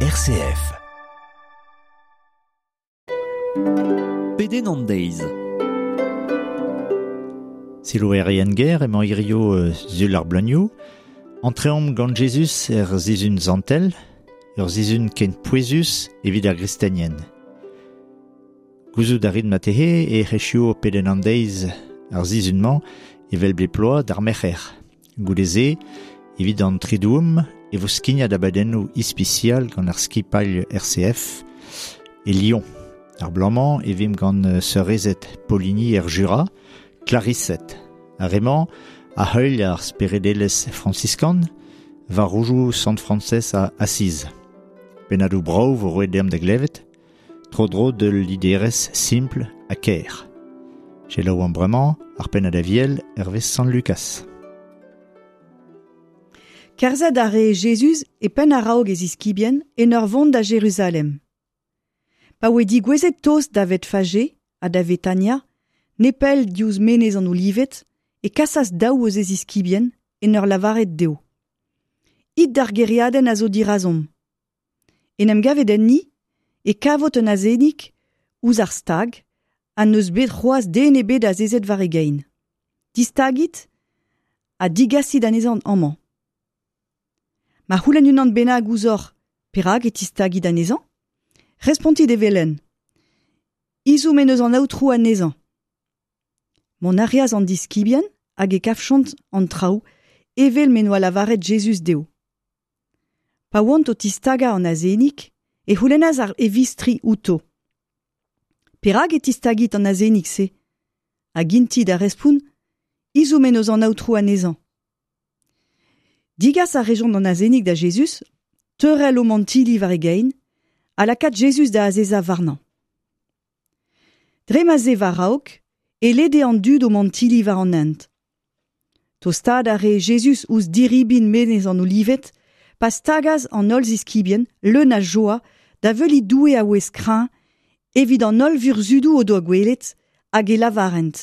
RCF. Pedenn an deiz. Silouerien ger emañ hirio sul ar bleunioù. Antreomp gant Jezuz er zizun zantel, ur zizun ken pouezus evit ar gristenien. Gouzout a rit matehe e c'hechio pedenn an deiz ar zizun-mañ evel bep bloaz d'ar merc'her. Goude-se, evit an tridoum, e vo skignad abadennoù ispisial gant ar skipailh RCF e Lyon. Ar bloaz-mañ e vimp gant seurezed Poligny er Jura, Clarisset. Ar re-mañ a heuilh ar speredelezh franciskan war roujoù Sant Frañsez a Asiz. Pennadoù brav vo roet deomp da glevet, tro-dro d'ul liderezh simpl ha kaer. Selaouomp bremañ ar pennad aviel hervez Sant Lukas. Kerzhet a ree Jezuz e penn a-raok e ziskibien en ur vont da Jeruzalem. Pa oe digouezhet tost da Vetfage ha da Vetania, nepell diouzh Menez an Olived, e kasas daou eus e ziskibien en ur lavaret dezho: It d'ar gêriadenn a zo dirazomp. En em gavet enni, e kavot un azenig ouzh ar stag ha n'eus bet c'hoazh den ebet azezet war e gein. Distagit ha digasit anezhañ amañ. Ma c'houlenn unan bennak ouzhoc'h perak e tistagit anezhañ, respontit evel-henn: Ezhomm en deus an Aotrou anezhañ. Mont a reas an diskibien hag e kavjont an traoù evel m'en doa lavaret Jezuz dezho. Pa oant o tistagañ an azenig e c'houlennas ar e vistri outo: Perak e tistagit an azenig-se? Hag int-i da respont: Ezhomm en deus an Aotrou anezhañ. Digas a rejont an azenig da Jezuz, teurel o mantilli war e gein, ha lakaat Jezuz da azezañ warnañ. Dre ma 'z eo war-raok e lede an dud o mantilli war an hent. Tostaat a rae Jezuz ouzh diribin Menez an Olived pa stagas an holl ziskibien, leun a joa, da veuliñ Doue a-ouez kreñv evit an holl vurzhudoù o doa gwelet, hag e lavarent: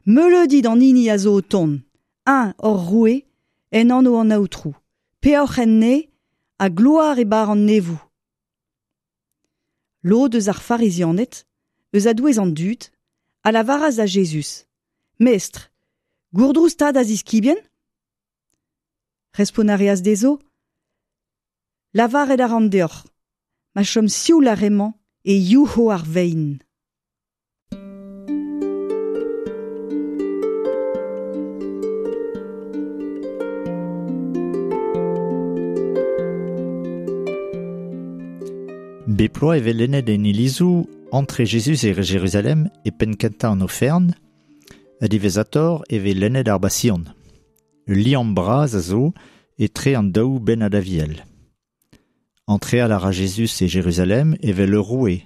Meuleudi d'an hini a zo o tont, eñ hor roue, en anv an Aotrou, peoc'h en neñv ha gloar e barr an neñvoù. Lod eus ar Farizianed, eus a-douez an dud, a lavaras da Jezuz: Mestr, gourdrouz 'ta da ziskibien? Respont a reas dezho: Lavaret a ran deoc'h, ma chom sioul ar re-mañ e youc'ho ar vein. Bep bloaz e vez lennet en ilizoù entre Jezuz e Jeruzalem e penn-kentañ an oferenn, ha diwezhatoc'h e vez lennet ar Basion. Ul liamm bras a zo etre an daou bennad aviel. Antreal a ra Jezuz e Jeruzalem evel ur roue,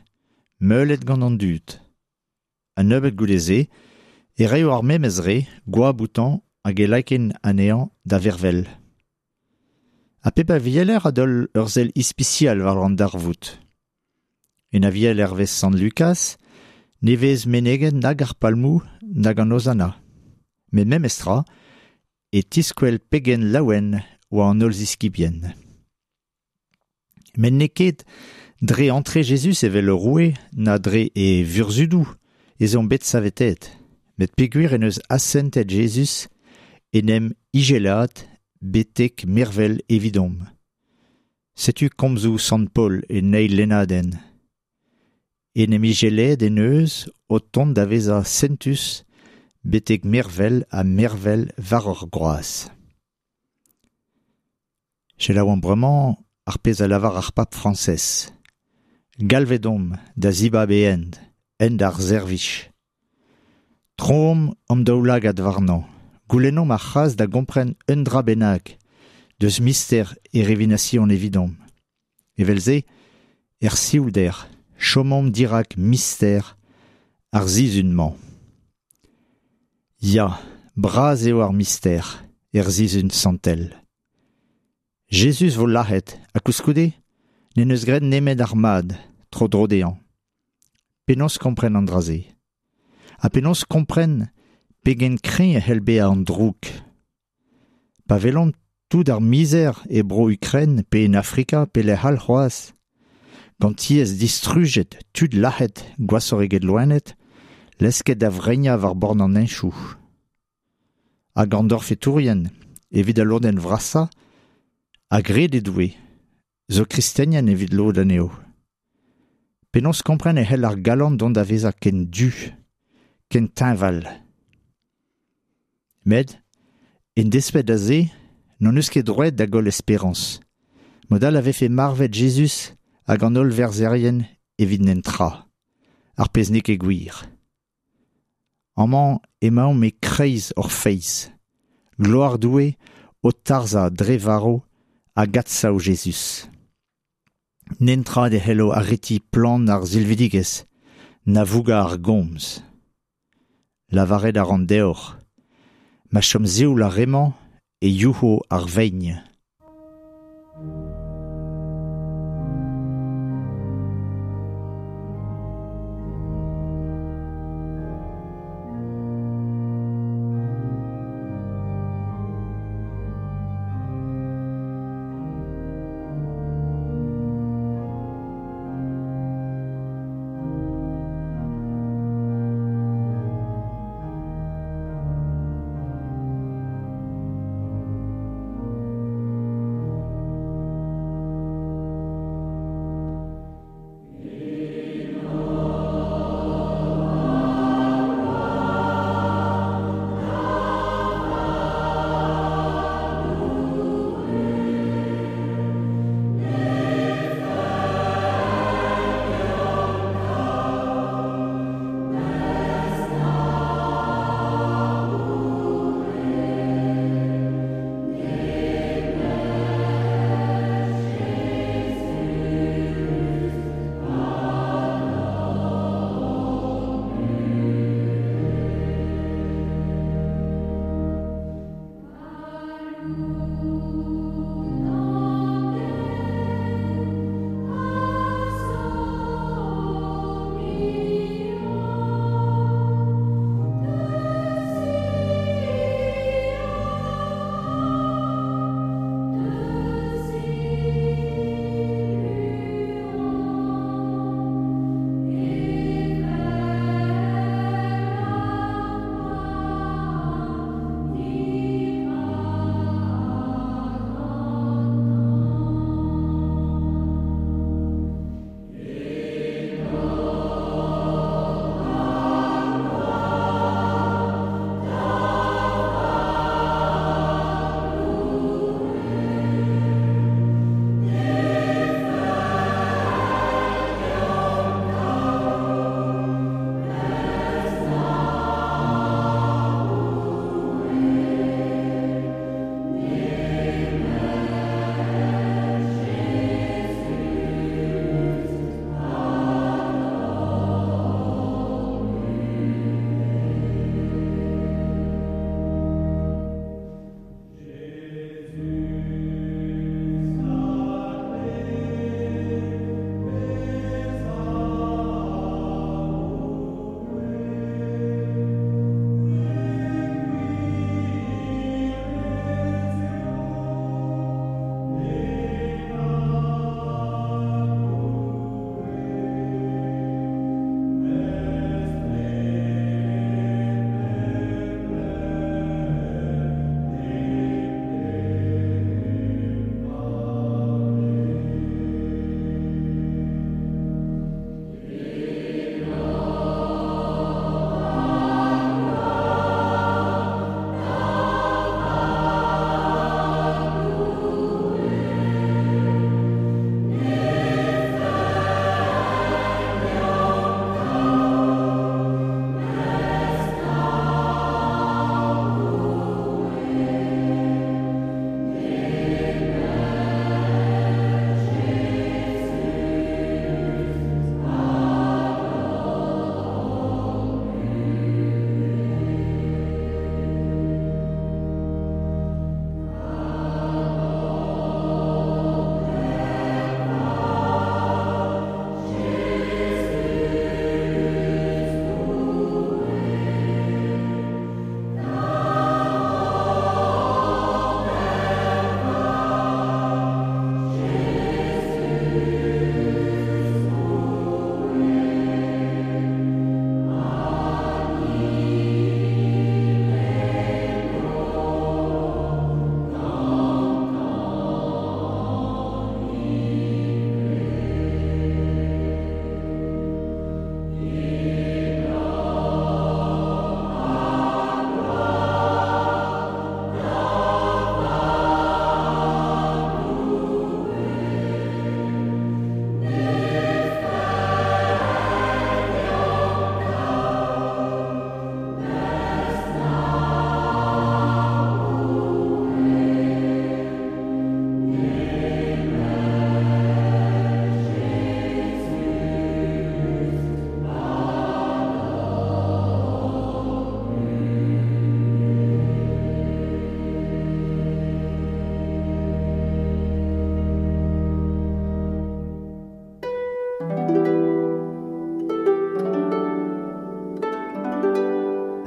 meulet gant an dud. Ha nebeut goude-se e raio ar memes re goap outañ hag e lakaint anezhañ da vervel. Ha pep avieler a daol ur sell ispisial war an darvoud. En aviel hervez Sant Lukaz ne vez meneget nag ar palmoù nag an Ozana. Met memestra e tiskwel pegen laouen oa an holl ziskibien. Met n'eo ket dre antre Jezuz evel ur roue na dre e vurzhudoù ez omp bet saveteet, met peogwir en deus asentet Jezuz en em ijelaat betek mervel evidomp. Setu komzoù Sant Paol en eil lennadenn. En em ijelaet en deus o tont da vezañ sentus betek mervel ha mervel war ur groaz. Selaouomp bremañ ar pezh a lavar ar pab Frañsez. Galvet omp da zibab e hent, hent ar servij. Troomp hon daoulagad warnañ, goulennomp ar c'hras da gompren un dra bennak deus mister e revinasion evidomp. Evel-se, er sioulder, chomomp dirak mister ar sizhun-mañ. Ya, bras eo ar mister er sizhun santel. Jezuz vo lazhet ha koulskoude n'en deus graet nemet ar mad tro-dro dezhañ. Penaos kompren an dra-se? Ha penaos kompren pegen kreñv e c'hell bezañ an droug? Pa welomp tout ar mizer e bro Ukren pe en Afrika pe lec'h all c'hoazh, Gant tiez distrujet, tud lac'het, gwashoc'h eget loened, lesket da vreinañ war bord an henchoù. Hag an dorfetourien, evit al lodenn vrasañ, a gred e Doue, zo kristenien evit lod anezho. Penaos kompren e c'hell ar galon dont da vezañ ken du, ken teñval. Met, en desped da se, n'hon eus ket droed da goll esperañs. Mod all a vefe marvet Jezuz hag an holl verzherien evit netra, ar pezh n'eo ket gwir. Amañ emaomp e-kreiz hor feiz. Gloar Doue o tarzhañ dre varv hag adsav Jezuz. Netra ne c'hello aretiñ plan ar silvidigezh, na vougañ ar gomz. Lavaret a ran deoc'h, ma chom sioul ar re-mañ e youc'ho ar vein.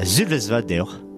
A zulvez va deoc'h.